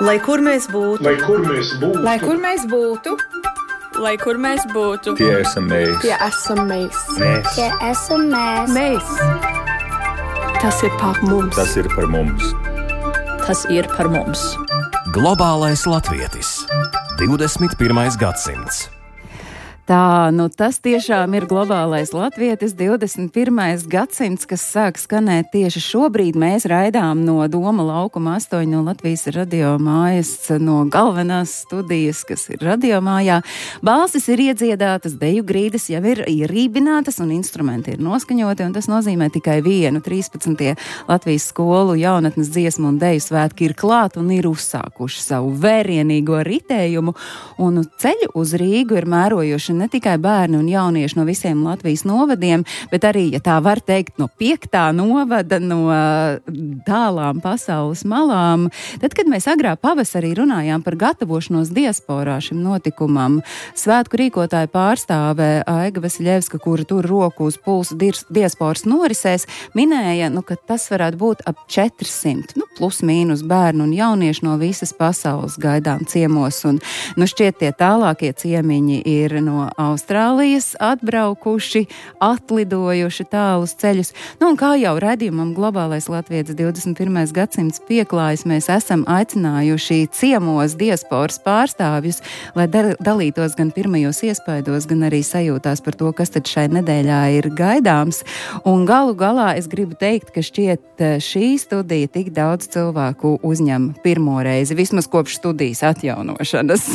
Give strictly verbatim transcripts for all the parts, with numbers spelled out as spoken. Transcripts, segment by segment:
Lai kur mēs būtu, lai kur mēs būtu, lai kur mēs būtu, lai kur mēs būtu, tie esam mēs. tie esam mēs. Mēs. Tie esam mēs. Mēs. Tas ir par mums. Tas ir par mums. tas ir par mums. Globālais latvietis. divdesmit pirmais gadsimts. Tā, nu tas tiešām ir globālais latvietis, divdesmit pirmais gadsimts, kas sāk skanēt tieši šobrīd. Mēs raidām no Doma laukuma astoņi no Latvijas radio mājas, no galvenās studijas, kas ir radio mājā. Balsis ir iedziedātas, deju grīdas jau ir ierībinātas un instrumenti ir noskaņoti, un tas nozīmē tikai vienu. trīspadsmitie Latvijas skolu jaunatnes dziesmu un deju svētki ir klāt un ir uzsākuši savu vērienīgo ritējumu, un ceļu uz Rīgu ir mērojuši ne tikai bērni un jaunieši no visiem Latvijas novadiem, bet arī, ja tā var teikt, no piektā novada, no tālām pasaules malām. Tad, kad mēs agrā pavasarī runājām par gatavošanos diasporā šim notikumam, svētku rīkotāja pārstāve Aiga Vasiļevska, kura tur roku uz pulsu diasporas norisēs, minēja, nu, ka tas varētu būt ap četrsimt, nu, plus mīnus bērnu un jaunieši no visas pasaules gaidām ciemos, un, nu, šķiet tie tālākie ciemiņi ir no Austrālijas atbraukuši, atlidojuši tālus ceļus. Nu, un kā jau raidījumam Globālais latvietis divdesmit pirmais gadsimts pieklājas, mēs esam aicinājuši ciemos diasporas pārstāvjus, lai dalītos gan pirmajos iespaidos, gan arī sajūtās par to, kas tad šai nedēļā ir gaidāms. Un galu galā es gribu teikt, ka šķiet šī studija tik daudz cilvēku uzņem pirmo reizi, vismaz kopš studijas atjaunošanas.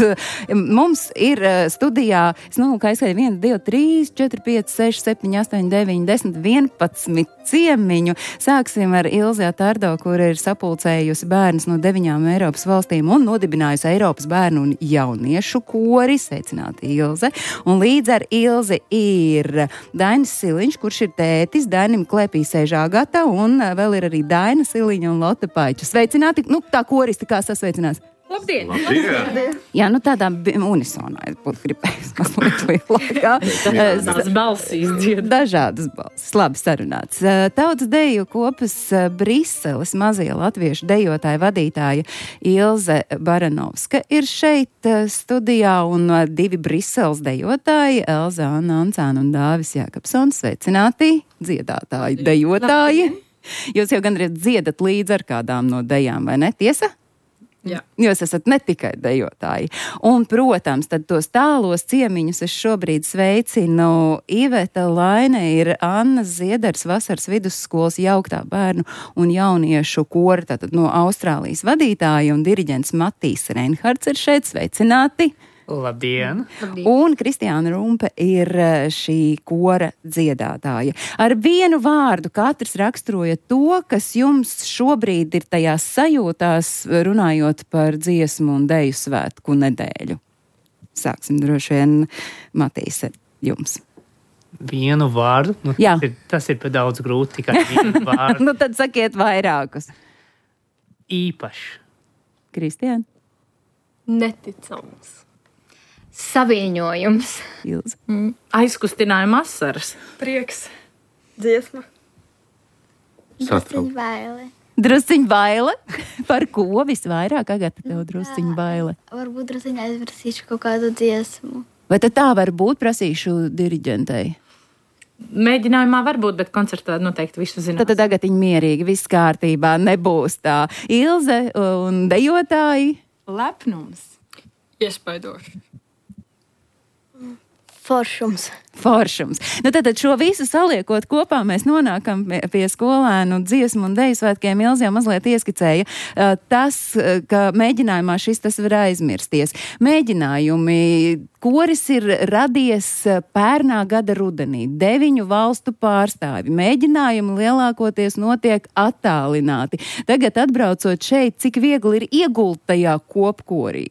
Mums ir studijā Nu, kā es skaidru, viens, divi, trīs, četri, pieci, seši, septiņi, astoņi, deviņi, desmit, vienpadsmit ciemiņu. Sāksim ar Ilzi Atārdo, kur ir sapulcējusi bērnus no deviņām Eiropas valstīm un nodibinājusi Eiropas bērnu un jauniešu kori. Sveicināti, Ilze. Un līdz ar Ilzi ir Dainis Siliņš, kurš ir tētis, Dainim klēpī sēž Agata, un vēl ir arī Daina Siliņa un Lotte Paiča. Sveicināti, nu tā koristi kā sasveicinās. Labdien! Labdien. Jā, nu tādā unisonā es būtu gribējis mazliet lielākā. Dažādas balsīs dzied. Dažādas balsis. Labi sarunāts. Tautas deju kopas Briseles mazie latviešu dejotāja vadītāja Ilze Baranovska ir šeit studijā, un divi Briseles dejotāji Elza Anna Ancāna un Dāvis Jākapsons. Sveicināti, dziedātāji, dejotāji. Jūs jau gandrīz dziedat līdz ar kādām no dejām, vai ne? Tiesa? Jā. Jūs esat ne tikai dejotāji. Un, protams, tad tos tālos ciemiņus es šobrīd sveicinu. Iveta Laine ir Anna Ziedars vasaras vidusskolas jauktā bērnu un jauniešu kora, tātad no Austrālijas vadītāja, un diriģents Matīs Reinhards ir šeit. Sveicināti! Labdien! Un Kristiāna Rumpe ir šī kora dziedātāja. Ar vienu vārdu katrs raksturoja to, kas jums šobrīd ir tajās sajūtās, runājot par dziesmu un deju svētku nedēļu. Sāksim droši vien, Matīs, jums. Vienu vārdu? Nu, tas, ir, tas ir pa daudz grūti, tikai vienu vārdu. Nu tad sakiet vairākus. Īpašs. Kristiāna? Neticams. Saviņojums. Ilze. Mm. Aizkustinājuma asaras. Prieks. Dziesma. Drusciņ baile. Drusciņ baile? Par ko visvairāk, Agata, tev drusciņ baile? Varbūt drusciņ aizvarsīšu kaut kādu dziesmu. Vai tad tā var būt, prasīšu diriģentei? Mēģinājumā var būt, bet koncertā noteikti visu zinās. Tad tagad viņi mierīgi, viss kārtībā, nebūs tā. Ilze un dejotāji? Lepnums. Iespaidoši. Foršums. Foršums. Nu tad šo visu saliekot kopā, mēs nonākam pie, pie skolēnu dziesmu un deju svētkiem. Ilze jau mazliet ieskicēja uh, tas, ka mēģinājumā šis tas var aizmirsties. Mēģinājumi, koris ir radies pērnā gada rudenī, deviņu valstu pārstāvi. Mēģinājumi lielākoties notiek attālināti. Tagad atbraucot šeit, cik viegli ir iegult tajā kopkorī?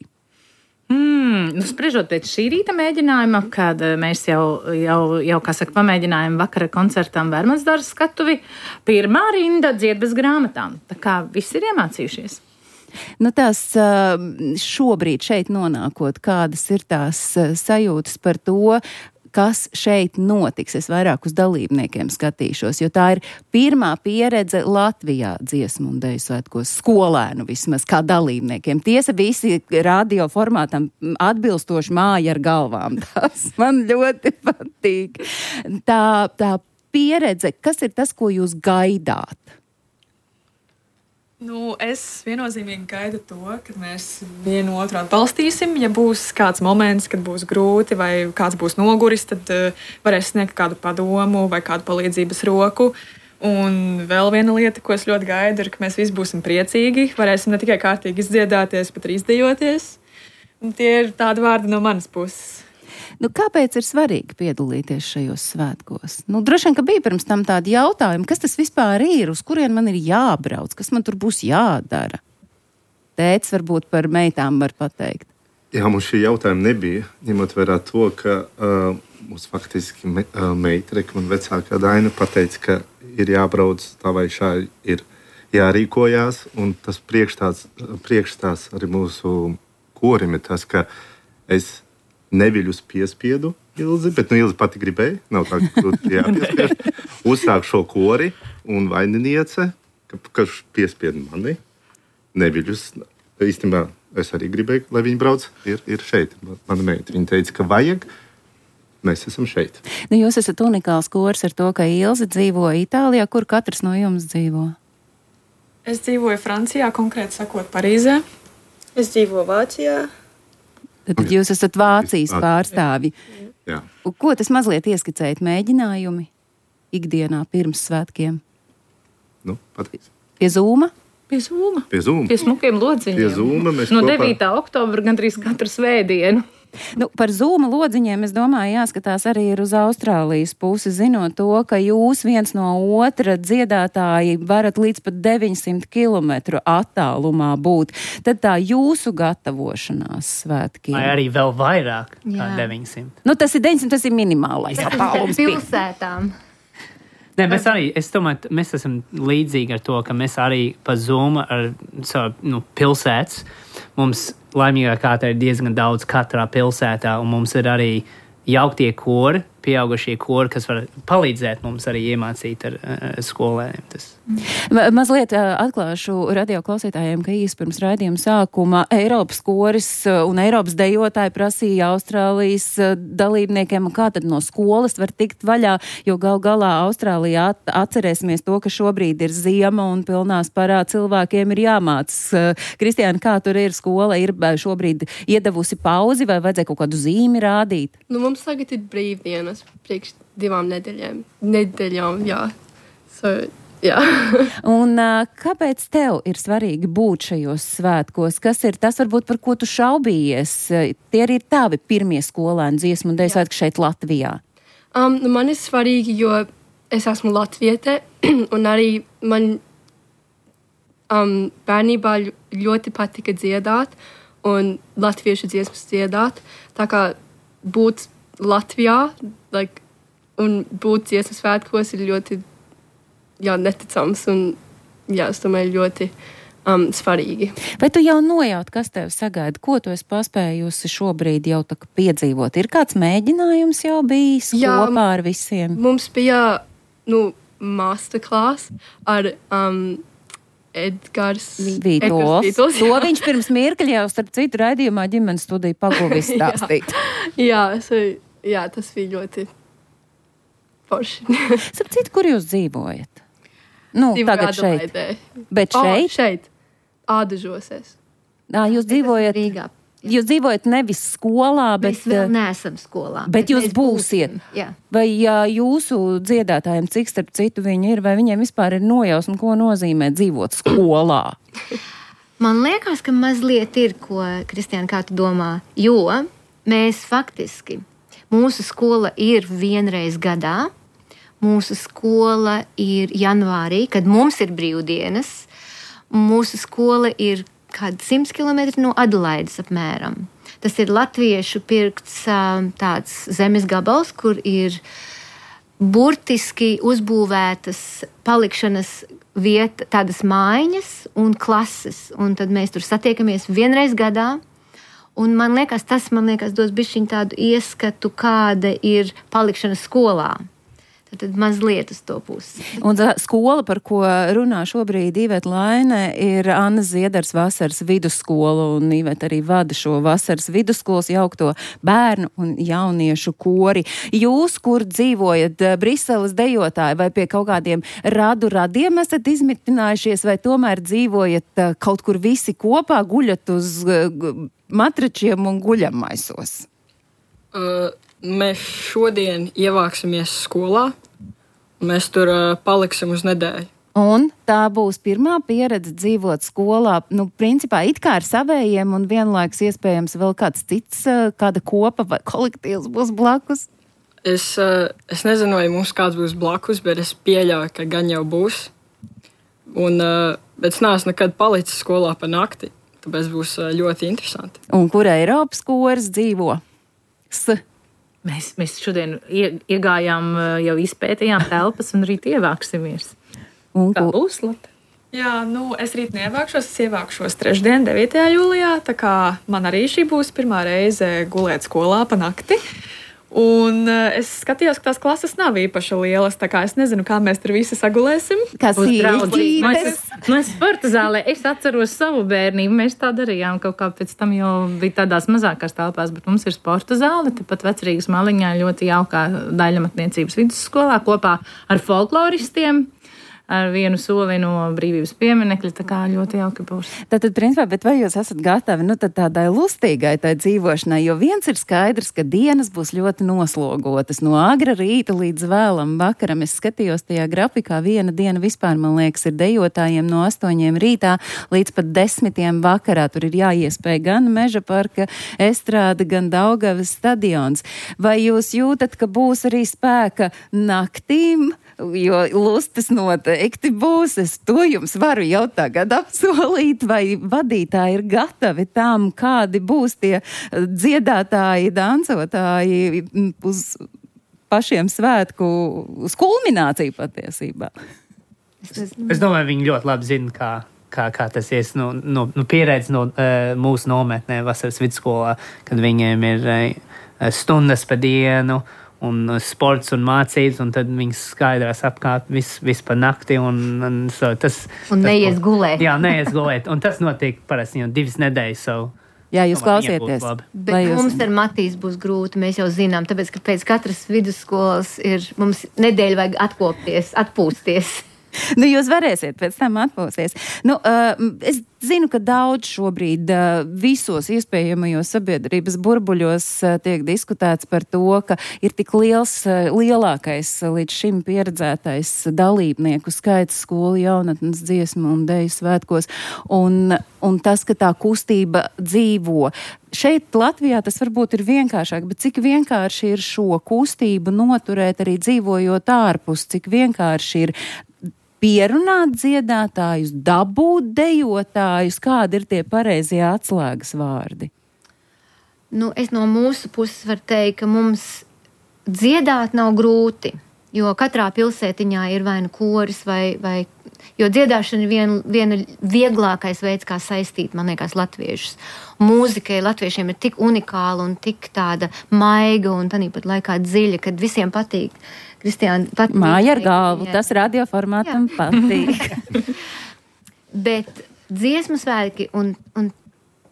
Mm, nu, spriežot pēc šī rīta mēģinājuma, kad mēs jau, jau, jau kā saka, pamēģinājām vakara koncertam Vērmansdārzā skatuvi, pirmā rinda dzied bez grāmatām. Tā kā viss ir iemācījušies. Nu, tās šobrīd šeit nonākot, kādas ir tās sajūtas par to, kas šeit notiks. Es vairāk uz dalībniekiem skatīšos, jo tā ir pirmā pieredze Latvijā dziesmu un deju svētkos, skolēnu vismaz, kā dalībniekiem. Tiesa visi radio formātam atbilstoši māja ar galvām. Tas man ļoti patīk. Tā, tā pieredze, kas ir tas, ko jūs gaidāt? Nu, es viennozīmīgi gaidu to, ka mēs vienu otru atbalstīsim. Ja būs kāds moments, kad būs grūti vai kāds būs noguris, tad uh, varēs sniegt kādu padomu vai kādu palīdzības roku. Un vēl viena lieta, ko es ļoti gaidu, ir, ka mēs visi būsim priecīgi. Varēsim ne tikai kārtīgi izdziedāties, bet arī izdejoties. Un tie ir tādi vārdi no manas puses. Nu, kāpēc ir svarīgi piedalīties šajos svētkos? Nu, droši vien, ka bija pirms tam tādi jautājumi, kas tas vispār ir, uz kurien man ir jābrauc, kas man tur būs jādara? Tētis varbūt par meitām var pateikt. Jā, mums šī jautājuma nebija, ņemot vērā to, ka uh, mums faktiski me, uh, meitreka un vecākā Daina pateica, ka ir jābrauc tā vai šā ir jārīkojās, un tas priekšstāsts, priekšstāsts arī mūsu korim ir tas, ka es neviļus piespiedu Ilzi, bet nu Ilzi pati gribēja, nav tā, ka tu jāpiespiež. Uzsāk šo kori un vaininiece, ka, ka piespied mani. Neviļus, īstenībā es arī gribēju, lai viņi brauc, ir, ir šeit. Mana meita, viņa teica, ka vajag, mēs esam šeit. Nu, jūs esat unikāls kors ar to, ka Ilze dzīvo Itālijā, kur katrs no jums dzīvo? Es dzīvoju Francijā, konkrēti sakot Parīzē. Es dzīvoju Vācijā. Tad jūs esat Vācijas pārstāvi. Jā. Ko tas mazliet ieskicēt mēģinājumi ikdienā pirms svētkiem? Nu, pateiks. Pie Zūma? Pie Zūma. Pie Zūma. Pie smukiem lodziņiem. Pie Zūma mēs no kopā... devītā oktobra gandrīz katru svētdienu. Nu, par Zūma lodziņiem, es domāju, jāskatās arī ir uz Austrālijas pusi, zinot to, ka jūs viens no otra dziedātāji varat līdz pat deviņsimt kilometru attālumā būt. Tad tā jūsu gatavošanās svētkiem. Vai arī vēl vairāk kā deviņsimt. Nu, tas ir deviņsimt, tas ir minimālais attālums. Pilsētām. Ne, mēs arī, es domāju, mēs esam līdzīgi ar to, ka mēs arī pa Zoom ar savu nu, pilsētas. Mums laimīgā kārtā ir diezgan daudz katrā pilsētā, un mums ir arī jauktie kori, pieaugušie kori, kas var palīdzēt mums arī iemācīt ar uh, skolēniem. Tas. Ma- mazliet uh, atklāšu radio klausītājiem, ka īsi pirms raidījuma sākuma Eiropas koris uh, un Eiropas dejotāji prasīja Austrālijas uh, dalībniekiem, kā tad no skolas var tikt vaļā, jo gal galā Austrālijā at- atcerēsimies to, ka šobrīd ir ziema un pilnā sparā cilvēkiem ir jāmācas. Uh, Kristiāna, kā tur ir skola, ir šobrīd iedavusi pauzi vai vajadzēja kaut kādu zīmi rādīt? Nu, mums tagad ir brīvdienas priekš divām nedēļām. Nedēļām, jā. So, jā. Un uh, kāpēc tev ir svarīgi būt šajos svētkos? Kas ir tas, varbūt, par ko tu šaubījies? Tie arī ir tavi pirmie skolēni dziesmu un deju svētki šeit Latvijā. Um, nu, man ir svarīgi, jo es esmu latviete, un arī man um, bērnībā ļoti patika dziedāt, un latviešu dziesmas dziedāt. Tā kā būt Latvijā, like, un būt dziesmas svētkos ir ļoti jā, neticams un jā, es domāju, ļoti um, svarīgi. Vai tu jau nojaut, kas tev sagaida? Ko tu esi paspējusi šobrīd jau tā kā piedzīvot? Ir kāds mēģinājums jau bijis jā, kopā ar visiem? Mums bija nu, masterclass ar um, Edgars Vītols. Vītols to viņš pirms mirkļa jau starp citu raidījumā ģimenes studiju paguvis stāstīt. jā, so, jā, tas bija ļoti forši. Starp citu, kur jūs dzīvojat? Nu, Dzīvoju tagad šeit. Adelaidē. Bet šeit? Oh, šeit. Ādažosēs. Ā, jūs dzīvojat Rīgā. Jūs dzīvojat nevis skolā, bet... Mēs vēl neesam skolā. Bet, bet jūs mēs būsiet. Būsim, jā. Vai jā, jūsu dziedātājiem, cik starp citu viņi ir, vai viņiem vispār ir nojausma, ko nozīmē dzīvot skolā? Man liekas, ka mazliet ir, ko, Kristiāna, kā tu domā, jo mēs faktiski, mūsu skola ir vienreiz gadā, mūsu skola ir janvārī, kad mums ir brīvdienas, mūsu skola ir kādi simts kilometri no Adelaides apmēram. Tas ir latviešu pirkts tāds zemes gabals, kur ir burtiski uzbūvētas palikšanas vieta, tādas mājiņas un klases. Un tad mēs tur satiekamies vienreiz gadā. Un man liekas, tas man liekas dos bišķiņ tādu ieskatu, kāda ir palikšana skolā. Tad mazliet uz to pusi. Un tā skola, par ko runā šobrīd Iveta Laine, ir Annas Ziedars vasaras vidusskola, un Iveta arī vada šo vasaras vidusskolas jaukto bērnu un jauniešu kori. Jūs, kur dzīvojat, Briseles dejotāji, vai pie kaut kādiem radu radiem esat izmitinājušies, vai tomēr dzīvojat kaut kur visi kopā, guļat uz matračiem un guļamaisos? Uh, mēs šodien ievāksimies skolā. Mēs tur uh, paliksim uz nedēļu. Un tā būs pirmā pieredze dzīvot skolā, nu, principā it kā ar savējiem un vienlaiks iespējams vēl kāds cits, kāda kopa vai kolektīvs būs blakus? Es, uh, es nezinu, vai mums kāds būs blakus, bet es pieļauju, ka gan jau būs. Un, uh, bet es neesmu nekad palicis skolā pa nakti, tāpēc būs uh, ļoti interesanti. Un kur Eiropas koris dzīvo? S. Mēs, mēs šodien ie, iegājām, jau izpētījām telpas un rīt ievāksimies. Un kā būs, Lata? Jā, nu, es rīt neievākšos, es ievākšos trešdien, devītajā jūlijā, tā kā man arī šī būs pirmā reize gulēt skolā pa nakti. Un uh, es skatījos, ka tās klases nav īpaši lielas, tā kā es nezinu, kā mēs tur visi sagulēsim. Kas ir draudzības? Nu, es sporta zālē, es atceros savu bērnību, mēs tā darījām kaut kā pēc tam jau bija tādās mazākās telpās, bet mums ir sporta zāle, tepat Vecrīgas maliņā ļoti jaukā daļamatniecības vidusskolā kopā ar folkloristiem. Ar vienu soli no brīvības pieminekļa, tā kā ļoti jauki būs. Tātad, principā, bet vai jūs esat gatavi, nu, tad tādai lustīgai tai dzīvošanai, jo viens ir skaidrs, ka dienas būs ļoti noslogotas, no agra rīta līdz vēlam vakaram. Es skatījos tajā grafikā, viena diena vispār, man liekas, ir dejotājiem no astoņiem rītā līdz pat desmitiem vakarā. Tur ir jāiespēj gan Meža parka estrāde, gan Daugavas stadions. Vai jūs jūtat, ka būs arī spēka naktīm? Jo lustas noteikti būs. Es to jums varu jau tagad apsolīt, vai vadītāji ir gatavi tam, kādi būs tie dziedātāji, dancotāji uz pašiem svētku, uz kulmināciju patiesībā. Es, es domāju, viņi ļoti labi zina, kā, kā, kā tas ir no, no, no pieredze no uh, mūsu nometnē vasaras vidusskolā, kad viņiem ir uh, stundas pa dienu, un sports un mācības, un tad viņas skaidrās apkārt visu vis pa nakti. Un, un, so, tas, un tas, neies gulēt. Jā, neies gulēt. Un tas notiek parasti jau divas nedēļas. So, jā, jūs klausieties. Bet jūs... mums ar Matīs būs grūti, mēs jau zinām, tāpēc, ka pēc katras vidusskolas ir mums nedēļa vajag atkopties, atpūsties. Nu, jūs varēsiet pēc tam atpūsties. Nu, uh, es zinu, ka daudz šobrīd uh, visos iespējamajos sabiedrības burbuļos uh, tiek diskutēts par to, ka ir tik liels, uh, lielākais uh, līdz šim pieredzētais dalībnieku skaits skolu jaunatnes dziesmu un deju svētkos, un, un tas, ka tā kustība dzīvo. Šeit Latvijā tas varbūt ir vienkāršāk, bet cik vienkārši ir šo kustību noturēt arī dzīvojot ārpus, cik vienkārši ir pierunāt dziedātājus, dabūt dejotājus, kādi ir tie pareizie atslēgas vārdi? Nu, es no mūsu puses varu teikt, ka mums dziedāt nav grūti, jo katrā pilsētiņā ir vai nu koris, vai, vai, jo dziedāšana ir viena, viena vieglākais veids, kā saistīt, man liekas, latviešus. Mūzikai latviešiem ir tik unikāla un tik tāda maiga un tāpat laikā dziļa, kad visiem patīk. Kristiāna, patīk. Māja ar galvu, jā. Tas radioformātam patīk. Bet dziesmu svētki un, un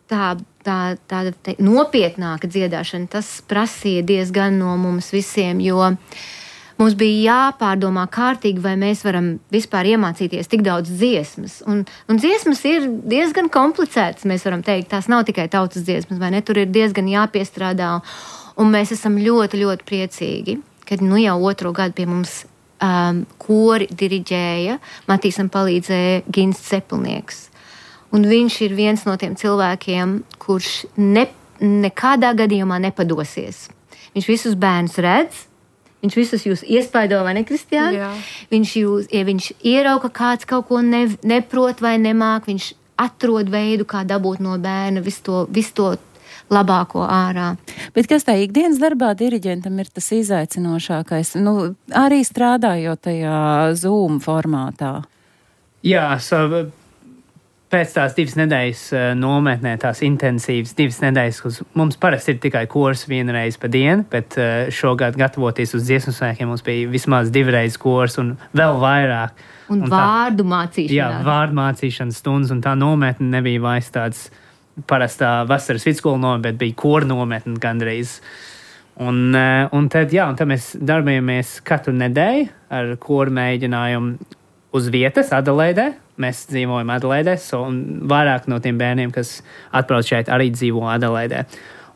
tā, tā, tāda te, nopietnāka dziedāšana, tas prasīja diezgan no mums visiem, jo mums bija jāpārdomā kārtīgi, vai mēs varam vispār iemācīties tik daudz dziesmas. Un, un dziesmas ir diezgan komplicētas, mēs varam teikt. Tās nav tikai tautas dziesmas, vai ne? Tur ir diezgan jāpiestrādā. Un mēs esam ļoti, ļoti priecīgi, kad nu jau otro gadu pie mums um, kori diriģēja, Matīsam palīdzēja Gins Cepelnieks. Un viņš ir viens no tiem cilvēkiem, kurš ne, nekādā gadījumā nepadosies. Viņš visus bērnus redz, viņš visus jūs iespaido, vai ne, Kristiāna? Viņš jūs, ja viņš ierauga, kāds kaut ko ne, neprot vai nemāk, viņš atrod veidu, kā dabūt no bērna visu to, visu to labāko ārā. Bet kas tā ikdienas darbā diriģentam ir tas izaicinošākais? Nu, arī strādājot tajā Zoom formātā. Jā, so, pēc tās divas nedēļas nometnē, tās intensīvas divas nedēļas, kas mums parasti ir tikai kurs vienreiz pa dienu, bet šogad gatavoties uz dziesmu svētkiem mums bija vismaz divreiz kurs un vēl vairāk. Un, un vārdu tā, mācīšana. Jā, vārdu mācīšanas stundas, un tā nometne nebija vairs tāds parastā vasaras vidskola nometne, bet bija kora nometne gandrīz. Un, un tad, jā, un tad mēs darbojamies katru nedēļu ar koru mēģinājumu uz vietas Adelaidē. Mēs dzīvojam Adelaidē, so, un vairāk no tiem bērniem, kas atbrauc šeit, arī dzīvo Adelaidē.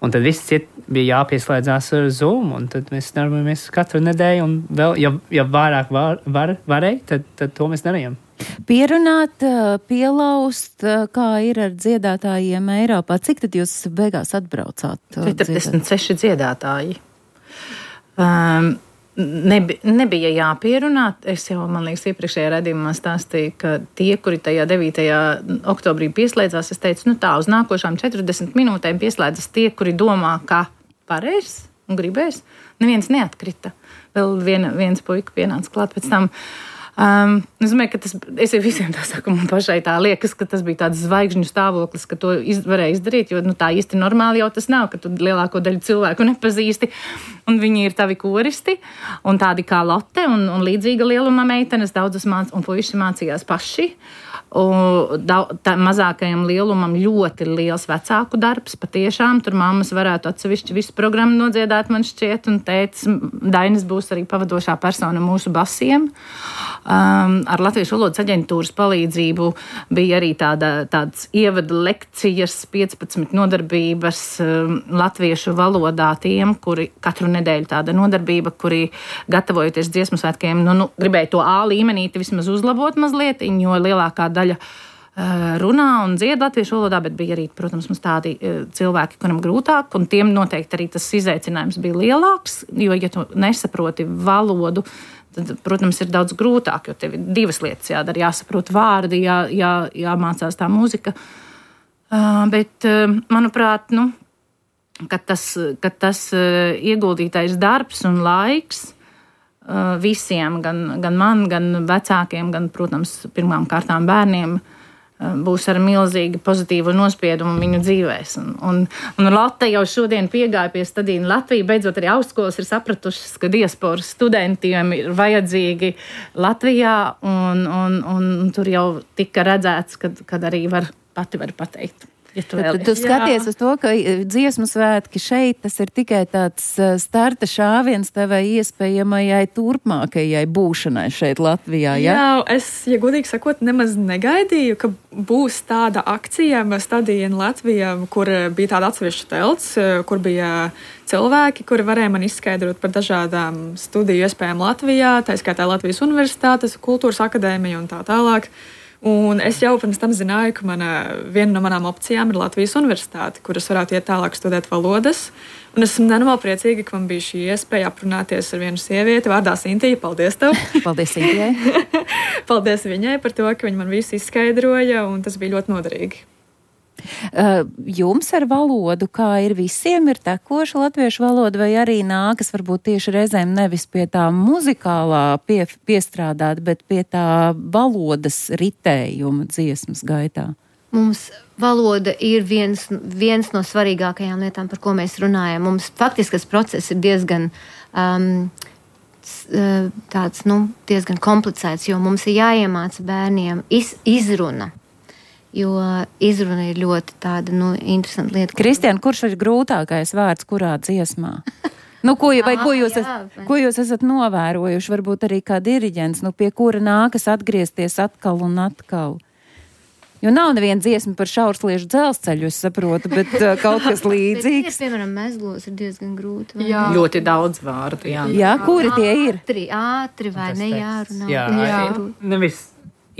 Un tad viss ciet bija jāpieslēdzās ar Zoom, un tad mēs darbojamies katru nedēļu, un vēl, ja, ja vairāk var, var, varēja, tad, tad to mēs darījām. Pierunāt, pielaust, kā ir ar dziedātājiem Eiropā. Cik tad jūs beigās atbraucāt? četrdesmit seši dziedātāji. Um, nebi, nebija jāpierunāt. Es jau, man liekas, iepriekšējā redzījumā stāstīju, ka tie, kuri tajā devītajā oktobrī pieslēdzās, es teicu, nu tā, uz nākošām četrdesmit minūtēm pieslēdzas tie, kuri domā, ka varēs un gribēs. Neviens neatkrita. Vēl vien, viens puika pienāca klāt pēc tam. Um, es domāju, ka tas, es visiem tā saku, man pašai tā liekas, ka tas bija tāds zvaigžņu stāvoklis, ka to iz, varēja izdarīt, jo nu, tā īsti normāli jau tas nav, ka tu lielāko daļu cilvēku nepazīsti, un viņi ir tavi koristi, un tādi kā Lotte, un, un līdzīga lieluma meitenes, daudzas māc, un puiši mācījās paši, un tā, mazākajam lielumam ļoti liels vecāku darbs, patiešām, tur mammas varētu atsevišķi visu programmu nodziedāt, man šķiet, un tētis Dainis būs arī pavadošā persona mūsu basiem. Um, ar Latviešu valodas aģentūras palīdzību bija arī tāda, tāds ievada lekcijas, piecpadsmit nodarbības um, latviešu valodā tiem, kuri katru nedēļu tāda nodarbība, kuri gatavojoties dziesmu svētkiem, nu, nu, gribēja to A līmenīti vismaz uzlabot mazliet, jo lielākā daļa uh, runā un dzied latviešu valodā, bet bija arī, protams, mums tādi uh, cilvēki, kuram grūtāk, un tiem noteikti arī tas izaicinājums bija lielāks, jo, ja tu nesaproti valodu, tad, protams, ir daudz grūtāk, jo tev ir divas lietas jādara. Jāsaprot vārdi, jā, jā, jāmācās tā mūzika. Uh, bet, uh, manuprāt, nu, kad tas, kad tas uh, ieguldītais darbs un laiks uh, visiem, gan, gan man, gan vecākiem, gan, protams, pirmām kārtām bērniem, būs ar milzīgi pozitīvu nospiedumu viņu dzīvēs. Un, un, un Lotte jau šodien piegāja pie Stadīna Latviju. Beidzot arī augstskolas ir sapratušas, ka diasporas studentiem ir vajadzīgi Latvijā, un, un, un tur jau tika redzēts, kad, kad arī var, pati var pateikt. Ja tu, tu, tu skaties uz to, ka dziesmu svētki šeit, tas ir tikai tāds starta šāviens tavai iespējamajai turpmākajai būšanai šeit Latvijā, ja? Jā, es, ja godīgi sakot, nemaz negaidīju, ka būs tāda akcija Stadīna Latvijā, kur bija tāda atsevišķa telts, kur bija cilvēki, kuri varēja man izskaidrot par dažādām studiju iespējām Latvijā, tā skaitā Latvijas Universitātes, Kultūras akadēmija un tā tālāk. Un es jau pirms tam zināju, ka mana, viena no manām opcijām ir Latvijas Universitāte, kuras varētu iet tālāk studēt valodas. Un esmu nenormāli priecīga, ka man bija šī iespēja aprunāties ar vienu sievieti vārdā Sintija. Paldies tev! Paldies Sintijai! Paldies viņai par to, ka viņa man visu izskaidroja, un tas bija ļoti noderīgi. Jums ar valodu, kā ir visiem, ir tekoša latviešu valoda, vai arī nākas varbūt tieši reizēm nevis pie tā muzikālā pie, piestrādāt, bet pie tā valodas ritējuma dziesmas gaitā? Mums valoda ir viens, viens no svarīgākajām lietām, par ko mēs runājam. Mums faktiskas process ir diezgan um, tāds, nu, diezgan komplicēts, jo mums ir jāiemāca bērniem iz, izruna. Jo izruna ir ļoti tāda, nu, interesanta lieta. Kristiāna, kurš ir grūtākais vārds kurā dziesmā? Nu, ko, vai ko jūs, es, ko jūs esat novērojuši, varbūt arī kā diriģents, nu, pie kura nākas atgriezties atkal un atkal? Jo nav neviena dziesma par šaursliežu dzelzceļu, es saprotu, bet uh, kaut kas līdzīgs. Bet, piemēram, mezglos ir diezgan grūti. Jā. Ļoti daudz vārdu, jā. Jā, kuri tie ir? Ātri, ātri vai ne jārunā. Jā, jā. Nevis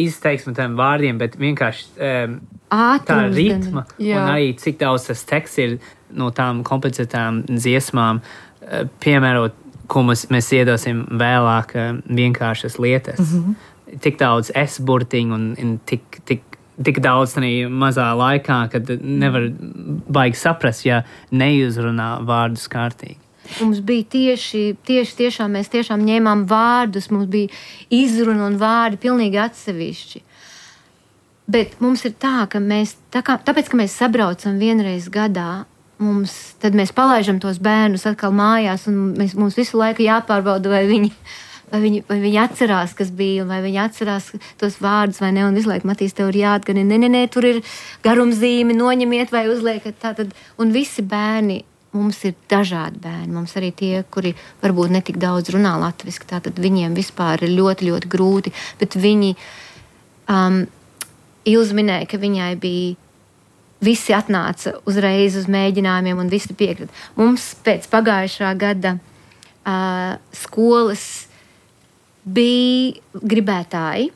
izteiksmi tiem vārdiem, bet vienkārši um, tā ritma un arī cik daudz tas teksts ir no tām komplicētām dziesmām, uh, piemērot, ko mēs, mēs iedosim vēlāk uh, vienkāršas lietas. Mm-hmm. Tik daudz es-burtiņu un, un tik, tik, tik daudz arī mazā laikā, kad nevar baigi saprast, ja neuzrunā vārdus kārtīgi. Mums bija tieši, tieši tiešām, mēs tiešām ņēmām vārdus, mums bija izruna un vārdi pilnīgi atsevišķi. bet mums ir tā, ka mēs, tā kā, tāpēc, ka mēs sabraucam vienreiz gadā, mums, tad mēs palaižam tos bērnus atkal mājās, un mēs, mums visu laiku jāpārbauda, vai viņi, vai, viņi, vai viņi atcerās, kas bija, vai viņi atcerās tos vārdus, vai ne, un visu laiku, Matīs, tev ir jāatgani, ne, ne, ne, tur ir garumzīme, noņemiet vai uzliekat tātad, un visi bērni, mums ir dažādi bērni, mums arī tie, kuri varbūt netik daudz runā latviski, tātad viņiem vispār ir ļoti, ļoti grūti, bet viņi, um, Ilza minēja, ka viņai bija, visi atnāca uzreiz uz mēģinājumiem un visi piekrita. Mums pēc pagājušā gada uh, skolas bija gribētāji,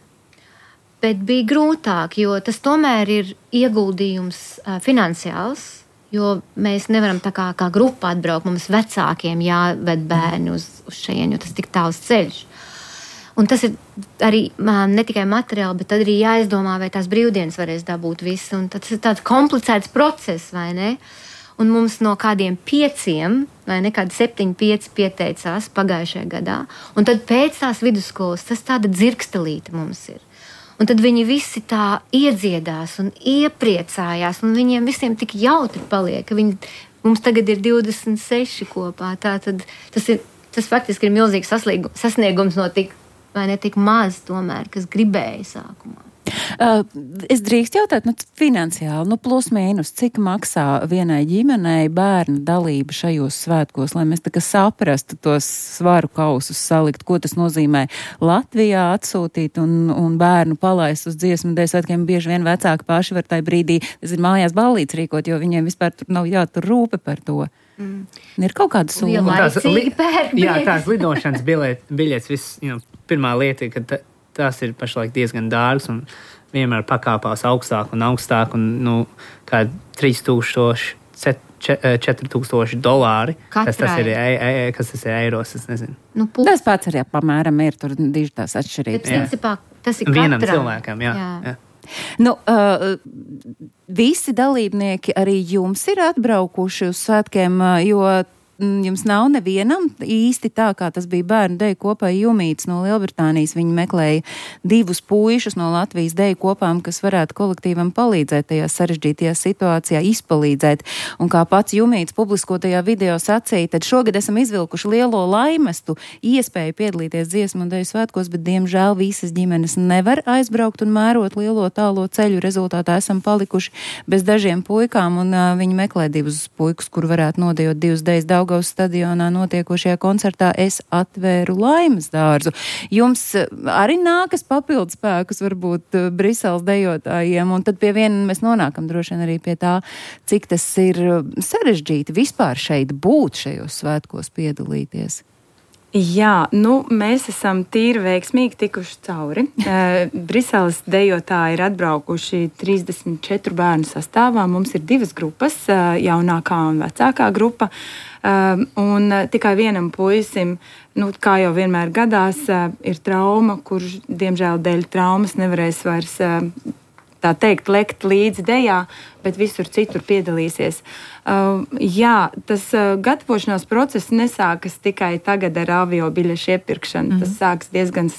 bet bija grūtāk, jo tas tomēr ir ieguldījums uh, finansiāls, jo mēs nevaram tā kā, kā grupa atbraukt, mums vecākiem jāved bērni uz, uz šeit, jo tas tik tāls ceļš. Un tas ir arī ne tikai materiāli, bet arī jāizdomā, vai tās brīvdienas varēs dabūt visu. Un tas ir tāds komplicēts process, vai ne? Un mums no kādiem pieciem, vai ne, kādi septiņi, pieci pieteicās pagājušajā gadā. Un tad pēc tās vidusskolas tas tāda dzirkstelīte mums ir. Un tad viņi visi tā iedziedās un iepriecājās, un viņiem visiem tik jautri paliek, ka viņi, mums tagad ir divdesmit seši kopā. Tā tad tas, ir, tas faktiski ir milzīgs sasniegums no tik vai ne tik maz tomēr, kas gribēja sākumā. Uh, es drīkst jautāt, nu, finansiāli, nu, plus mīnus, cik maksā vienai ģimenei bērna dalība šajos svētkos, lai mēs tā kā saprastu tos svaru kausus salikt, ko tas nozīmē Latvijā atsūtīt un, un bērnu palaist uz dziesmu dēļ svētkiem. Bieži vien vecāki paši var tai brīdī, tas ir mājās ballītes rīkot, jo viņiem vispār tur nav jātur rūpe par to. Mm. Ir kaut kāda summa. Tās, li, jā, tās lidošanas biļetes, viss, you know, pirmā lieta ir, ka t, tās ir pašlaik diezgan dārgas un vienmēr pakāpās augstāk un augstāk un, nu, kā trīs tūkstoši, četri tūkstoši dolāri. Kas tas ir, e, e, kas tas ir eiros, es nezinu. Nu, pūs. Tas pats arī apmēram ir, tur diži tās atšķirības. Bet, principā, tas ir vienam katram. cilvēkam, jā. jā. jā. Nu, uh, visi dalībnieki arī jums ir atbraukuši uz svētkiem, jo jums nav nevienam īsti tā, kā tas bija bērnu deju kopā Jumīts no Lielbritānijas. Viņi meklēja divus puišus no Latvijas deju kopām, kas varētu kolektīvam palīdzēt tajā sarežģītajā situācijā, izpalīdzēt. Un kā pats Jumīts publiskotajā video sacīja, tad šogad esam izvilkuši lielo laimestu iespēju piedalīties dziesmu un deju svētkos, bet diemžēl visas ģimenes nevar aizbraukt un mērot lielo tālo ceļu. Rezultātā esam palikuši bez dažiem puikām un uh, viņi meklē divus puikus, kur varētu nodejot divus dejas Daugavas stadionā notiekošajā koncertā Es atvēru laimes dārzu. Jums arī nākas papildus spēkus varbūt Briseles dejotājiem, un tad pie viena mēs nonākam droši vien arī pie tā, cik tas ir sarežģīti vispār šeit būt šajos svētkos piedalīties. Jā, nu, mēs esam tīri veiksmīgi tikuši cauri. Uh, Briseles dejotāji ir atbraukuši trīsdesmit četru bērnu sastāvā. Mums ir divas grupas, uh, jaunākā un vecākā grupa. Uh, un uh, tikai vienam puisim, nu, kā jau vienmēr gadās, uh, ir trauma, kurš, diemžēl, dēļ traumas nevarēs vairs uh, tā teikt, lekt līdzi dejā, bet visur citur piedalīsies. Uh, jā, tas uh, gatavošanās process nesākas tikai tagad ar avio biļešu iepirkšanu. Mm-hmm. Tas sāks diezgan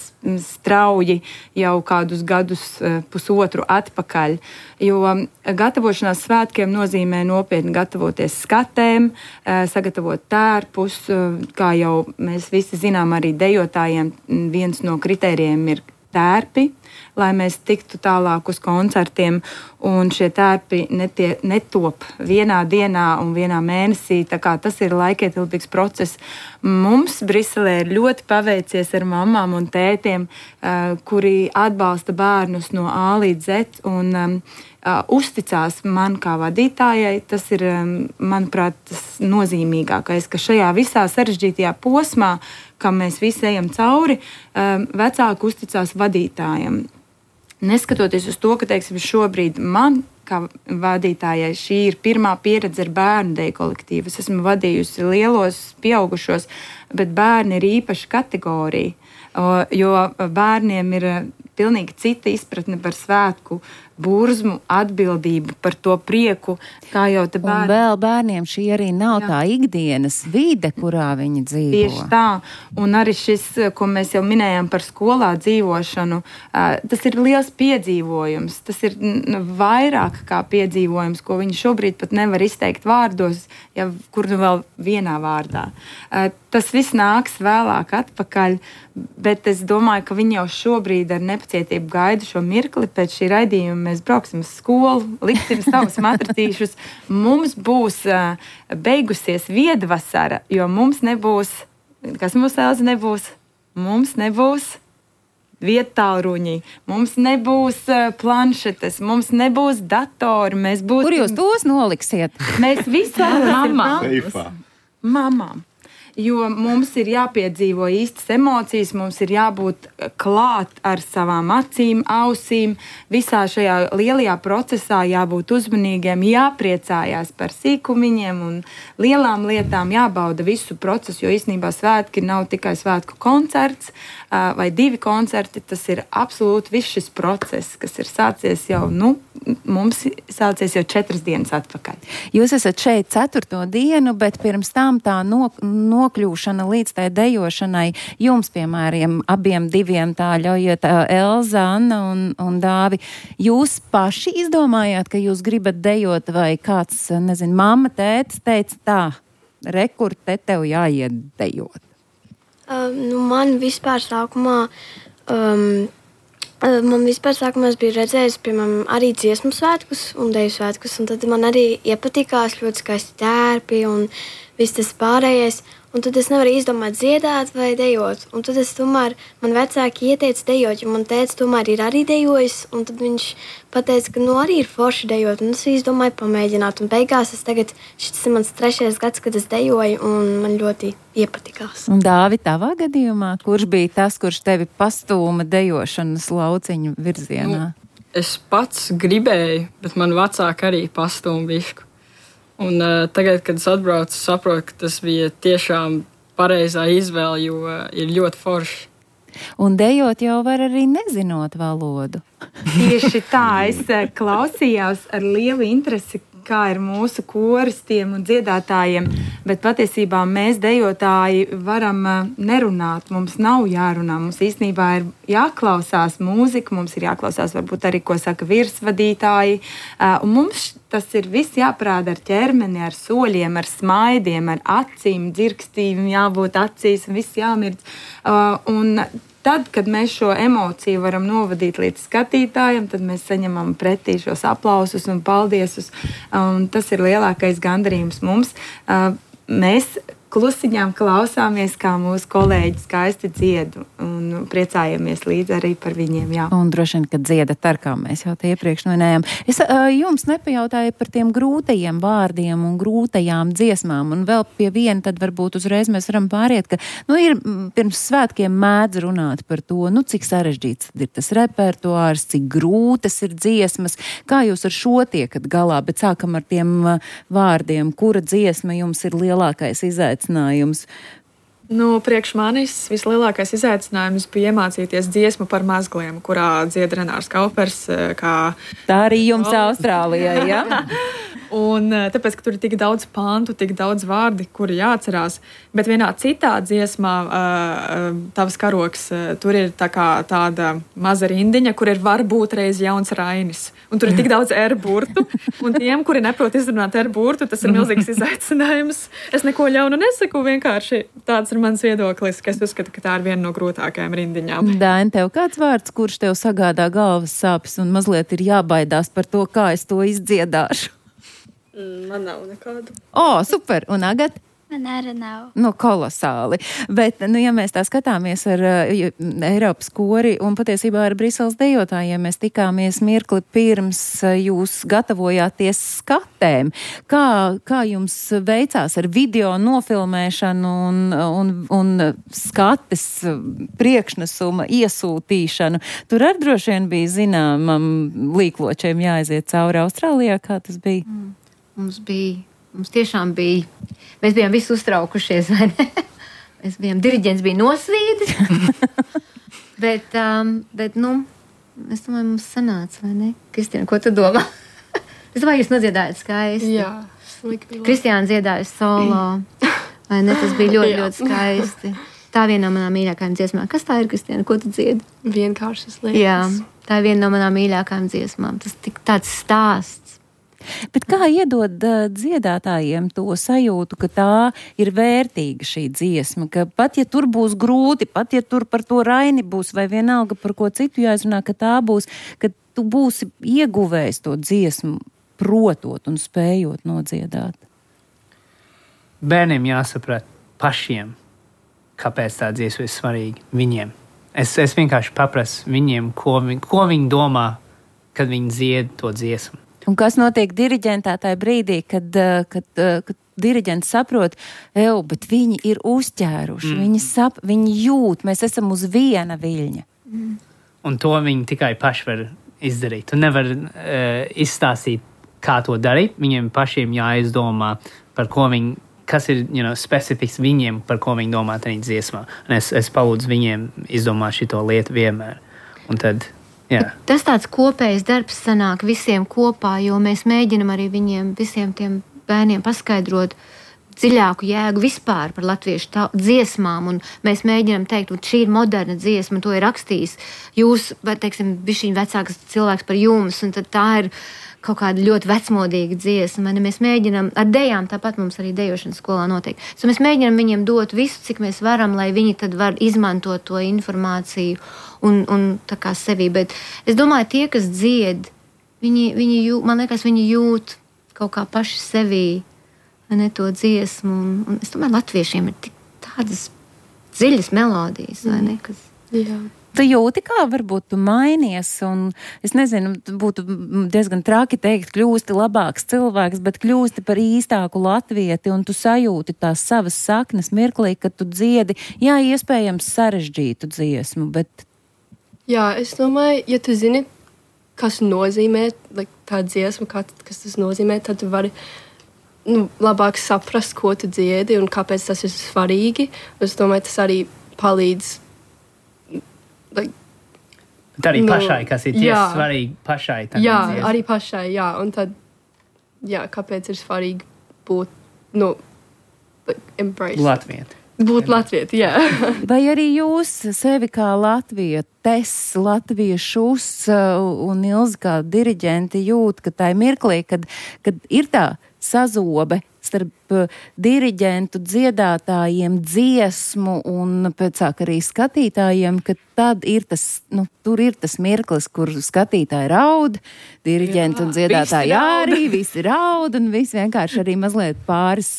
strauji jau kādus gadus, uh, pusotru atpakaļ, jo um, gatavošanās svētkiem nozīmē nopietni gatavoties skatēm, uh, sagatavot tērpus, uh, kā jau mēs visi zinām, arī dejotājiem viens no kritērijiem ir tērpi, lai mēs tiktu tālāk uz koncertiem, un šie tērpi netie, netop vienā dienā un vienā mēnesī, tā kā tas ir laikietilpīgs process. Mums Briselē ir ļoti paveicies ar mamām un tētiem, uh, kuri atbalsta bērnus no A līdz Z un um, uh, uzticās man kā vadītājai. Tas ir, um, manuprāt, tas nozīmīgākais, ka šajā visā sarežģītajā posmā, kam mēs visi ejam cauri, um, vecāki uzticās vadītājam. Neskatoties uz to, ka, teiksim, šobrīd man, kā vadītājai, šī ir pirmā pieredze ar bērnu deju kolektīvu. Es esmu vadījusi lielos, pieaugušos, bet bērni ir īpaša kategorija, jo bērniem ir pilnīgi cita izpratne par svētku burzmu, atbildību par to prieku, kā jau te bērni. Un vēl bērniem šī arī nav Jā. tā ikdienas vide, kurā viņi dzīvo. Tieši tā. Un arī šis, ko mēs jau minējām par skolā dzīvošanu, tas ir liels piedzīvojums. Tas ir vairāk kā piedzīvojums, ko viņi šobrīd pat nevar izteikt vārdos, ja kur nu vēl vienā vārdā. Tas viss nāks vēlāk atpakaļ, bet es domāju, ka viņi jau šobrīd ar nepacietību gaida šo mirkli. Pēc šī raidījuma mēs brauksim uz skolu, liksim savus matratīšus. Mums būs uh, beigusies viedvasara, jo mums nebūs, kas mums Elza nebūs? Mums nebūs viedtālruņi, mums nebūs uh, planšetes, mums nebūs datori. Mēs būs... Kur jūs tos noliksiet? Mēs visi Mamām. Mamām. Jo mums ir jāpiedzīvo īstas emocijas, mums ir jābūt klāt ar savām acīm, ausīm, visā šajā lielajā procesā jābūt uzmanīgiem, jāpriecājās par sīkumiņiem un lielām lietām, jābauda visu procesu, jo īstenībā svētki nav tikai svētku koncerts vai divi koncerti, tas ir absolūti viss šis process, kas ir sācies jau, nu, mums sācies jau četras dienas atpakaļ. Jūs esat šeit ceturto dienu, bet pirms tam tā no, nokļūšana līdz tai dejošanai jums, piemēram, abiem diviem tā ļaujiet, Elza, Anna un, un Dāvi. Jūs paši izdomājāt, ka jūs gribat dejot vai kāds, nezinu, mamma, tētis teica tā, rekur, te tev jāiet dejot? Um, nu man vispār sākumā... Um, Man vispār sākumā bija redzējis, piemēram, arī dziesmu svētkus un deju svētkus, un tad man arī iepatikās ļoti skaisti tērpi un viss tas pārējais. Un tad es nevaru izdomāt dziedāt vai dejot. Un tad es tomēr, man vecāki ieteica dejot, jo man tēvs tomēr ir arī dejojis, un tad viņš pateica, ka nu arī ir forši dejot, un es izdomāju pamēģināt. Un beigās es tagad, šis ir mans trešais gads, kad es dejoju, un man ļoti iepatikās. Un Dāvi, tavā gadījumā, kurš bija tas, kurš tevi pastūma dejošanas lauciņu virzienā? Nu, es pats gribēju, bet man vecāki arī pastūma bišku. Un uh, tagad, kad es atbraucu, saprotu, ka tas bija tiešām pareizā izvēle, jo uh, ir ļoti forši. Un dejot jau var arī nezinot valodu. Tieši tā, es klausījos ar lielu interesi, kā ir mūsu koristiem un dziedātājiem, bet patiesībā mēs dejotāji varam nerunāt, mums nav jārunā, mums īstenībā ir jāklausās mūzika, mums ir jāklausās varbūt arī, ko saka virsvadītāji, un mums tas ir viss jāprāda ar ķermeni, ar soļiem, ar smaidiem, ar acīm, dzirkstīm, jābūt acīs, viss jāmirdz, un tad, kad mēs šo emociju varam novadīt līdz skatītājiem, tad mēs saņemam pretī šos aplausus un paldiesus. Un tas ir lielākais gandarījums mums. Mēs klusiņām klausāmies, kā mūsu kolēģi skaisti dzied un priecājamies līdz arī par viņiem. Jā. Un droši vien, ka dziedat ar, kā mēs jau te iepriekš minējām. Es uh, jums nepajautāju par tiem grūtajiem vārdiem un grūtajām dziesmām, un vēl pie viena tad varbūt uzreiz mēs varam pāriet, ka, nu, ir pirms svētkiem mēdz runāt par to, nu, cik sarežģīts ir tas repertuārs, cik grūtas ir dziesmas, kā jūs ar šo tiekat galā, bet sākam ar tiem uh, vārdiem, kura dziesma jums ir lielākais izaicinājums? Nu, priekš manis vislielākais izaicinājums bija iemācīties dziesmu par mazgliem, kurā dzied Renārs Kaupers. Kā... Tā arī jums Austrālijā, jā? Un tāpēc, ka tur ir tik daudz pantu, tik daudz vārdi, kuri jāatcerās. Bet vienā citā dziesmā, tavs karoks, tur ir tā kā tāda maza rindiņa, kur ir varbūt reiz jauns Rainis. Un tur ir tik daudz R burtu. Un tiem, kuri neprot izrunāt R burtu, tas ir milzīgs izaicinājums. Es neko ļaunu nesaku, vienkārši tāds ir mans viedoklis, ka es uzskatu, ka tā ir viena no grūtākajām rindiņām. Daini, tev kāds vārds, kurš tev sagādā galvas sāpes un mazliet ir jābaidās par to, kā es to izdziedāšu? Man nav nekādu. O, super! Un Agata? Man arī nav. Nu, kolosāli. Bet, nu, ja mēs tā skatāmies ar uh, Eiropas kori un patiesībā ar Briseles dejotājiem, mēs tikāmies mirkli pirms uh, jūs gatavojāties skatēm. Kā, kā jums veicās ar video nofilmēšanu un, un, un skates priekšnesuma iesūtīšanu? Tur arī droši vien bija zināmam līkločiem jāaiziet cauri Austrālijā, kā tas bija? Mm. Mums bija, mums tiešām bija, mēs bijām visi uztraukušies, vai ne? Mēs bijām, diriģents bija nosvīdis, bet, um, bet, nu, es domāju, mums sanāca, vai ne? Kristiāna, ko tu domā? Es domāju, jūs nodziedājat skaisti. Jā. Kristiāna dziedāja solo, vai ne? Tas bija ļoti, ļoti skaisti. Tā viena no manām mīļākajām dziesmām. Kas tā ir, Kristiāna? Ko tu dziedi? Vienkāršas lietas. Jā, tā ir viena no manām mīļākajām dziesmām. Tas tik tāds stāsts. Bet kā iedod uh, dziedātājiem to sajūtu, ka tā ir vērtīga šī dziesma, ka pat ja tur būs grūti, pat ja tur par to Raini būs vai vienalga par ko citu jāizrunā, ka tā būs, ka tu būsi ieguvējis to dziesmu, protot un spējot nodziedāt? Bērniem jāsaprot pašiem, kāpēc tā dziesma ir svarīga viņiem. Es, es vienkārši paprasu viņiem, ko, vi, ko viņi domā, kad viņi dzied to dziesmu. Un kas notiek diriģentā tajā brīdī, kad, kad, kad diriģents saprot, eju, bet viņi ir uzķēruši, mm. viņi, sap, viņi jūt, mēs esam uz viena viļņa. Mm. Un to viņi tikai paši var izdarīt. Tu nevar uh, izstāstīt, kā to darīt. Viņiem pašiem jāizdomā, par ko viņi, kas ir you know, specifisks viņiem, par ko viņi domā tajā dziesmā. Un es, es palūdzu viņiem izdomāt šito lietu vienmēr. Un tad... Jā. Tas tāds kopējs darbs sanāk visiem kopā, jo mēs mēģinam arī viņiem, visiem tiem bērniem paskaidrot dziļāku jēgu vispār par latviešu tā, dziesmām, un mēs mēģinam teikt, ka šī ir moderna dziesma, to ir rakstījis jūs, vai, teiksim, bišķiņ vecāks cilvēks par jums, un tad tā ir kaut kāda ļoti vecmodīga dziesma. Mēs mēģinam, ar dejām tāpat mums arī dejošanas skolā notiek. So mēs mēģinam viņiem dot visu, cik mēs varam, lai viņi tad var izmantot to informāciju un, un tā kā sevi. Bet es domāju, tie, kas dzied, viņi, viņi jūt, man liekas, viņi jūt kaut kā paši sevī, ne to dziesmu. Un, un es domāju, latviešiem ir tik tādas dziļas melodijas, vai ne? Kas... Jā. Tu jūti, kā varbūt tu mainies, un es nezinu, būtu diezgan traki teikt, kļūsti labāks cilvēks, bet kļūsti par īstāku latvieti, un tu sajūti tās savas saknes mirklī, kad tu dziedi, jā, iespējams sarežģītu dziesmu, bet... Jā, es domāju, ja tu zini, kas nozīmē like, tā dziesma, kā, kas tas nozīmē, tad tu vari nu, labāk saprast, ko tu dziedi un kāpēc tas ir svarīgi. Es domāju, tas arī palīdz Like, Bet arī nu, pašai, kas ir tiesa svarīgi pašai. Jā, dziesma. arī pašai, jā. Un tad, jā, kāpēc ir svarīgi būt, nu, like, embrace. Latvieti. Būt latvieti, jā. Vai arī jūs sevi kā latvietes, latviešus un Ilzi kā diriģenti jūt, ka tā ir mirklī, kad, kad ir tā sazobe starp diriģentu, dziedātājiem, dziesmu un pēcāk arī skatītājiem, ka tad ir tas, nu, tur ir tas mirklis, kur skatītāji raud, diriģenti un dziedātāji arī, visi raud un visi vienkārši arī mazliet pāris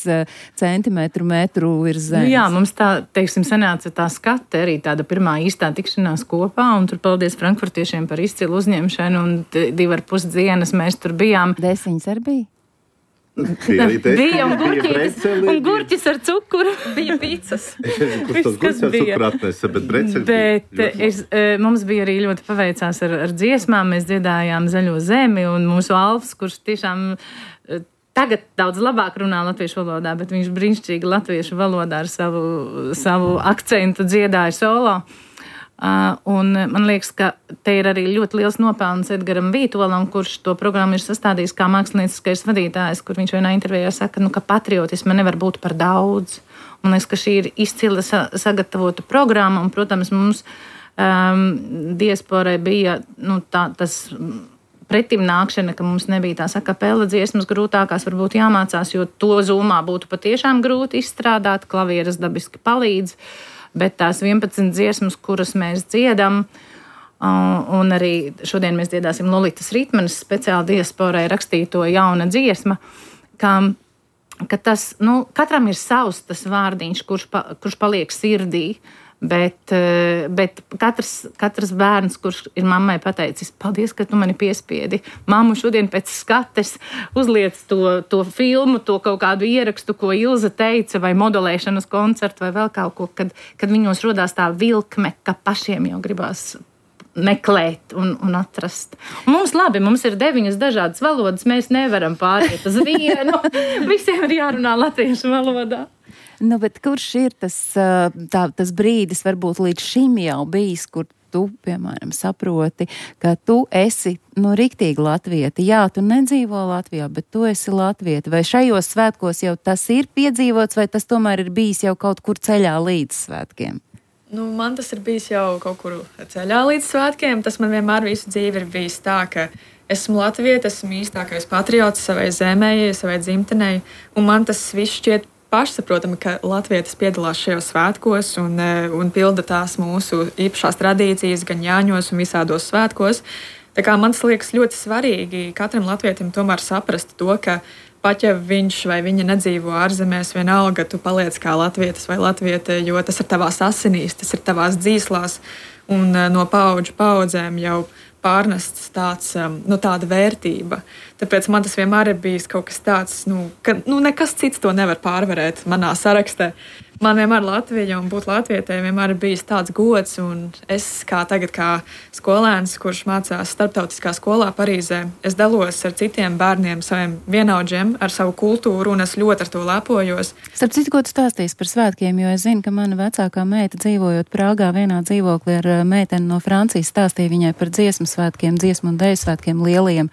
centimetru metru ir zemes. Nu jā, mums tā, teiksim, sanāca tā skate arī tāda pirmā īstā tikšanās kopā, un tur paldies frankfurtiešiem par izcilu uzņemšanu, un divi ar pus dienas mēs tur bijām. Desiņas arī bija? Bija arī te. Bija un gurķis, un gurķis ar cukuru. Bija pīcas. Es nezinu, kurš tos gurķis ar cukuru atnesa, bet breceļi Bet es, mums bija arī ļoti paveicās ar, ar dziesmām. Mēs dziedājām Zaļo zemi, un mūsu Alfs, kurš tiešām tagad daudz labāk runā latviešu valodā, bet viņš brīnišķīgi latviešu valodā ar savu, savu akcentu dziedāja solo. Uh, un man liekas, ka te ir arī ļoti liels nopelns Edgaram Vītolam, kurš to programmu ir sastādījis kā mākslinieckais vadītājs, kur viņš vienā intervijā saka, nu, ka patriotisma nevar būt par daudz. Man liekas, ka šī ir izcila sa- sagatavota programma, un, protams, mums um, diasporai bija nu, tā, tas pretim nākšana, ka mums nebija tās akapela dziesmas grūtākās, varbūt jāmācās, jo to zūmā būtu patiešām grūti izstrādāt, klavieres dabiski palīdz. Bet tās vienpadsmit dziesmas, kuras mēs dziedam, un arī šodien mēs dziedāsim Lolitas Ritmanes speciāli diasporai rakstīto jauna dziesma, ka, ka tas, nu, katram ir savs tas vārdiņš, kurš, pa, kurš paliek sirdī, bet, bet katrs, katrs bērns, kurš ir mammai pateicis, paldies, ka tu mani piespiedi. Mammu šodien pēc skates uzliec to, to filmu, to kaut kādu ierakstu, ko Ilze teica, vai modelēšanas koncertu, vai vēl kaut ko, kad, kad viņos rodās tā vilkme, ka pašiem jau gribās meklēt un, un atrast. Un mums labi, mums ir deviņas dažādas valodas, mēs nevaram pāriet uz vienu. Visiem ir jārunā latviešu valodā. Nu, bet kurš ir tas, tā, tas brīdis, varbūt līdz šim jau bijis, kur tu, piemēram, saproti, ka tu esi, nu, riktīgi latvieti. Jā, tu nedzīvo Latvijā, bet tu esi latvieti. Vai šajos svētkos jau tas ir piedzīvots, vai tas tomēr ir bijis jau kaut kur ceļā līdz svētkiem? Nu, man tas ir bijis jau kaut kur ceļā līdz svētkiem. Tas man vienmēr visu dzīvi ir bijis tā, ka esmu latvieti, esmu īstākais patriots savai zemē, savai dzimtenei, un man tas viss šķiet pašsaprotami, ka latvietis piedalās šajos svētkos un, un pilda tās mūsu īpašās tradīcijas gan Jāņos un visādos svētkos. Tā kā man tas liekas ļoti svarīgi katram latvietim tomēr saprast to, ka pat ja viņš vai viņa nedzīvo ārzemēs, vienalga tu paliec kā latvietis vai latviete, jo tas ir tavās asinīs, tas ir tavās dzīslās un no paudžu paudzēm jau pārnests tāds, nu, tāda vērtība. Tāpēc man tas vienmēr ir bijis kaut kas tāds, nu, ka nu, nekas cits to nevar pārvarēt manā sarakstē. Man vienmēr Latvija un būt latvietē vienmēr ir bijis tāds gods, un es kā tagad kā skolēns, kurš mācās starptautiskā skolā Parīzē, es dalos ar citiem bērniem, saviem vienaudžiem, ar savu kultūru, un es ļoti ar to lepojos. Starp citu, ko tu stāstīsi par svētkiem, jo es zinu, ka mana vecākā meita dzīvojot Prāgā vienā dzīvoklī ar meiteni no Francijas stāstīja viņai par dziesmu svētkiem, dziesmu un deju svētkiem lieliem.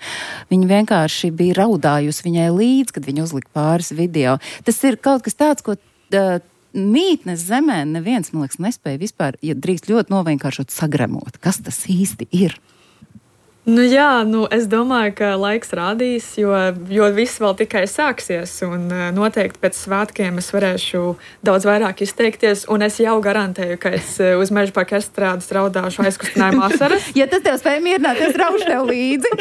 Viņa vienkārši bija raudājusi viņai līdz, kad viņa uzlika pāris video. Tas ir kaut kas tāds, ko uh, mītnes zemē neviens, man liekas, nespēja vispār, ja drīkst ļoti novienkāršot sagremot. Kas tas īsti ir? Nu jā, nu es domāju, ka laiks rādīs, jo, jo viss vēl tikai sāksies, un noteikti pēc svētkiem es varēšu daudz vairāk izteikties, un es jau garantēju, ka es uz Meža parka estrādes raudāšu aizkustinājumu asaras. Ja tas tev spēj mierināt, es raušu tev līdzi.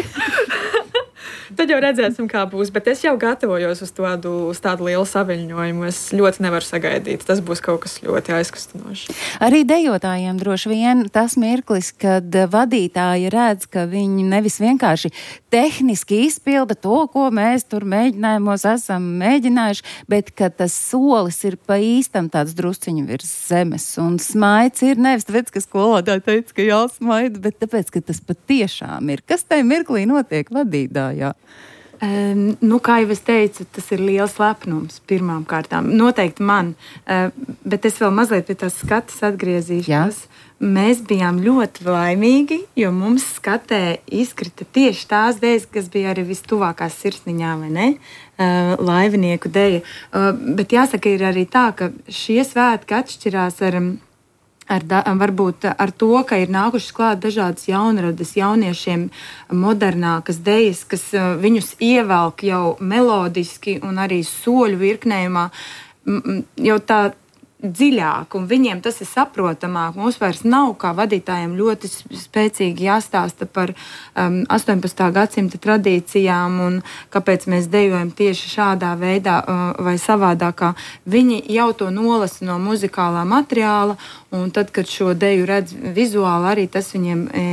Tad jau redzēsim, kā būs, bet es jau gatavojos uz tādu, uz tādu lielu saviļņojumu. Es ļoti nevaru sagaidīt. Tas būs kaut kas ļoti aizkustinošs. Arī dejotājiem droši vien tas mirklis, kad vadītāji redz, ka viņi nevis vienkārši tehniski izpilda to, ko mēs tur mēģinājumos esam mēģinājuši, bet ka tas solis ir pa īstam tāds drusciņu virs zemes. Un smaids ir nevis tāpēc, ka skolotāji teica, ka jāsmaida, bet tāpēc, ka tas patiešām ir. Kas tai mirklī notiek vadītājā? Um, nu, kā jau es teicu, tas ir liels lepnums pirmām kārtām. Noteikti man, uh, bet es vēl mazliet pie tās skatas atgriezīšos. Jā. Mēs bijām ļoti laimīgi, jo mums skatē izkrita tieši tās dejas, kas bija arī vistuvākās sirsniņā, vai ne? Uh, laivinieku deja. Uh, bet jāsaka, ir arī tā, ka šie svētki atšķirās ar... Ar da, varbūt ar to, ka ir nākušas klāt dažādas jaunradas jauniešiem, modernākas dejas, kas uh, viņus ievelk jau melodiski un arī soļu virknējumā m, jau tā dziļāk, un viņiem tas ir saprotamāk. Mums vairs nav kā vadītājiem ļoti spēcīgi jāstāsta par um, astoņpadsmitā gadsimta tradīcijām un kāpēc mēs dejojam tieši šādā veidā uh, vai savādākā. Viņi jau to nolasa no muzikālā materiāla, un tad, kad šo deju redz vizuāli, arī tas viņiem e,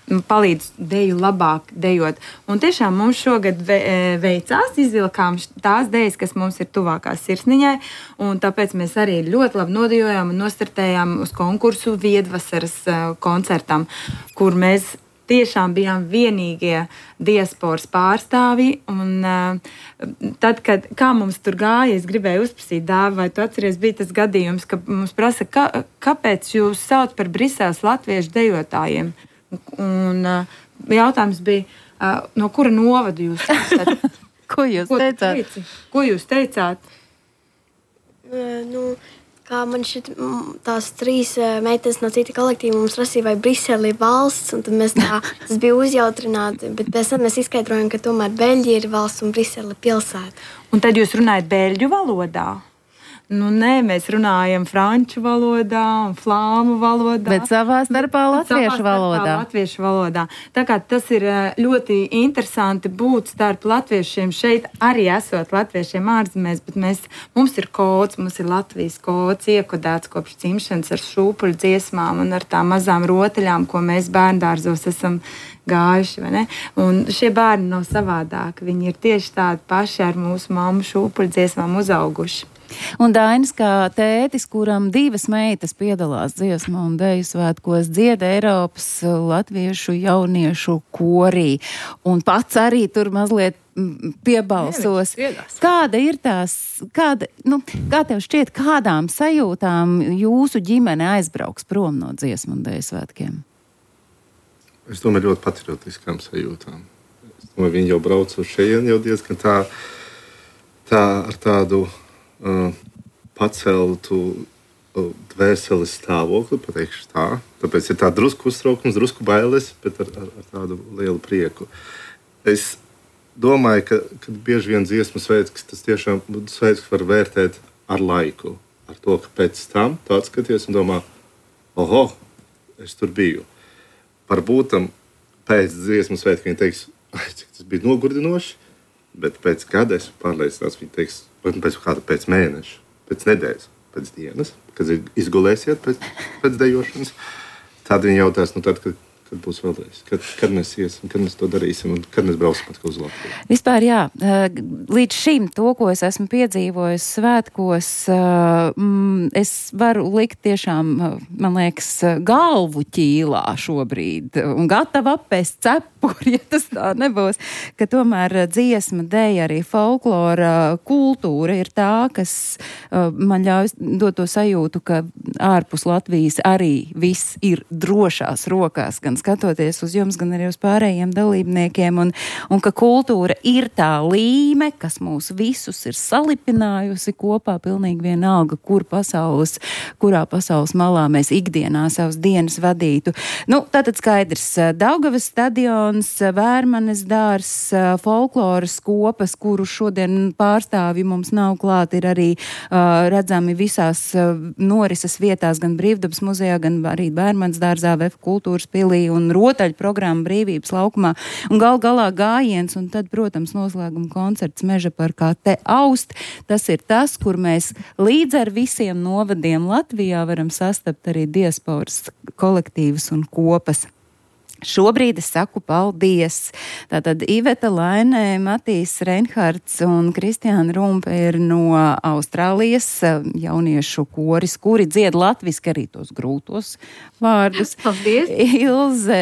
palīdz deju labāk dejot. Un tiešām mums šogad ve, veicās, izvilkām tās dejas, kas mums ir tuvākās sirsniņai, un tāpēc mēs arī ļoti labi nodejojām un nostartējām uz konkursu Viedvasaras koncertam, kur mēs tiešām bijām vienīgie diasporas pārstāvji, un uh, tad, kad, kā mums tur gāja, es gribēju uzprasīt Dāvi, vai tu atceries, bija tas gadījums, ka mums prasa, ka, kāpēc jūs sauc par Briseles latviešu dejotājiem? Un uh, jautājums bija, uh, no kura novada jūs esat? Ko jūs Ko teicāt? Teici? Ko jūs teicāt? Uh, nu, kā man šit, tās trīs uh, meitenes no cita kolektīva mums prasīja, vai Brisele ir valsts, un tad mēs tā, tas bija uzjautrināti, bet pēc tam mēs izskaidrojam, ka tomēr Beļģija ir valsts un Brisele pilsēta. Un tad jūs runājat beļģu valodā? Nu, nē, mēs runājam franču valodā un flāmu valodā. Bet savā starpā latviešu savā starpā valodā. latviešu valodā. Tā kā tas ir ļoti interesanti būt starp latviešiem šeit, arī esot latviešiem ārzemēs, bet mēs, mums ir kods, mums ir Latvijas kods iekodēts kopš dzimšanas ar šūpuļu dziesmām un ar tām mazām rotaļām, ko mēs bērndārzos esam gājuši, vai ne? Un šie bērni nav savādāki. Viņi ir tieši tādi paši ar mūsu mammu šūpuļu dziesmām uzauguši. Un Dainis, kā tētis, kuram divas meitas piedalās dziesmu un deju svētkos, dzied Eiropas latviešu jauniešu korī. Un pats arī tur mazliet piebalsos. Kāda ir tās, kāda, nu, kā tev šķiet, kādām sajūtām jūsu ģimene aizbrauks prom no dziesmu un deju svētkiem? es domāju, ļoti patriotiskām sajūtām. Es domāju, viņi jau brauc uz šejien jau diezgan tā, tā ar tādu uh, paceltu uh, dvēseles stāvokli, pateikšu tā. Tāpēc ir tā drusku uztraukums, drusku bailes, bet ar, ar, ar tādu lielu prieku. Es domāju, ka, ka bieži vien dziesmu svētks, tas tiešām svētks var vērtēt ar laiku. Ar to, ka pēc tam tu atskaties un domā, oho, es tur biju. Varbūt tam pēc dziesmu svētku viņi teiks, ai, cik tas bija nogurdinoši, bet pēc gada es pārliecināts, viņi teiks, pēc kāda pēc mēneša, pēc nedēļas, pēc dienas, kad izgulēsiet pēc, pēc dejošanas. Tad viņi jautās, nu tad, kad, kad būs vēlreiz, kad, kad mēs iesim, kad mēs to darīsim un kad mēs braucam atkal uz Latviju. Vispār jā, līdz šim to, ko es esmu piedzīvojis svētkos, es varu likt tiešām, man liekas, galvu ķīlā šobrīd un gatava apēst cepuri, ja tas tā nebūs, ka tomēr dziesma, deja, arī folklora kultūra ir tā, kas man ļauj dot to sajūtu, ka ārpus Latvijas arī viss ir drošās rokās, gan skatoties uz jums, gan arī uz pārējiem dalībniekiem, un, un ka kultūra ir tā līme, kas mūs visus ir salipinājusi kopā, pilnīgi vienalga, kur pasaules, kurā pasaules malā mēs ikdienā savas dienas vadītu. Nu, tātad skaidrs, Daugavas stadions, Vērmanes dārs, folkloras kopas, kuru šodien pārstāvi mums nav klāt, ir arī uh, redzami visās uh, norises vietās, gan Brīvdabas muzejā, gan arī Vērmanes dārzā, V F kultūras pilī un rotaļu programma Brīvības laukumā. Un gal galā gājiens un tad, protams, noslēguma koncerts Meža parkā Te aust. Tas ir tas, kur mēs līdz ar visiem novadiem Latvijā varam sastapt arī diasporas kolektīvus un kopas. Šobrīd es saku paldies. Tātad Iveta Lainē, Matīs Reinhards un Kristiāna Rumpe ir no Austrālijas jauniešu koris, kuri dzied latviski arī tos grūtos vārdus. Paldies! Ilze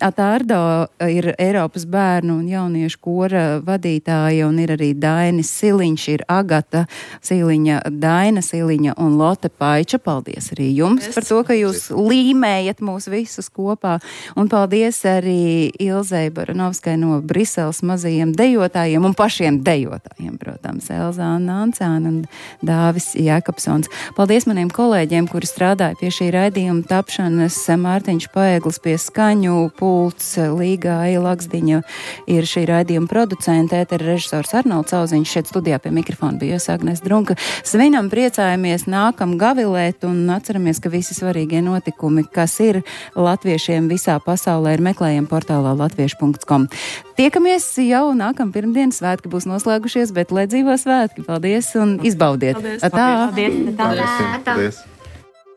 Atārdo ir Eiropas bērnu un jauniešu kora vadītāja un ir arī Dainis Siliņš, ir Agata Siliņa, Daina Siliņa un Lotte Paiča. Paldies arī jums par to, ka jūs līmējat mūs visus kopā. Un paldies arī Ilzei Baranovskai no Briseles mazajiem dejotājiem un pašiem dejotājiem, protams, Elzāna Ancāna un Dāvis Jēkabsons. Paldies maniem kolēģiem, kuri strādāja pie šī raidījuma tapšanas. Mārtiņš Paeglis pie skaņu pults, Līga Aija Laksdiņa ir šī raidījuma producente, ētera režisors Arnolds Auziņš, šeit studijā pie mikrofona bija Agnes Drunka. Svinam, priecājamies, nākam gavilēt un atceramies, ka visi svarīgie notikumi, kas ir latviešiem visā pasaulē, ir meklējami portālā latviešu punkts com. Tiekamies jau nākam pirmdien, svētki būs noslēgušies, bet lai dzīvo svētki. Paldies un izbaudiet! Paldies! Atā! Paldies! Paldies! Paldies.